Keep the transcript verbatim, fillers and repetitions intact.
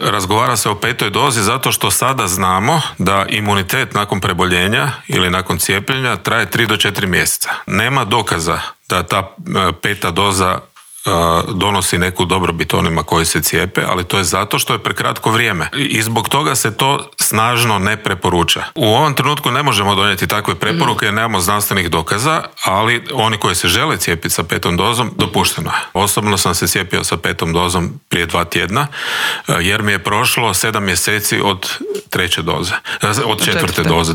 Razgovara se o petoj dozi zato što sada znamo da imunitet nakon preboljenja ili nakon cijepljenja traje tri do četiri mjeseca. Nema dokaza da ta peta doza donosi neku dobrobit onima koji se cijepe, ali to je zato što je prekratko vrijeme. I zbog toga se to snažno ne preporuča. U ovom trenutku ne možemo donijeti takve preporuke jer nemamo znanstvenih dokaza, ali oni koji se žele cijepiti sa petom dozom, dopušteno je. Osobno sam se cijepio sa petom dozom prije dva tjedna, jer mi je prošlo sedam mjeseci od treće doze, od četvrte doze.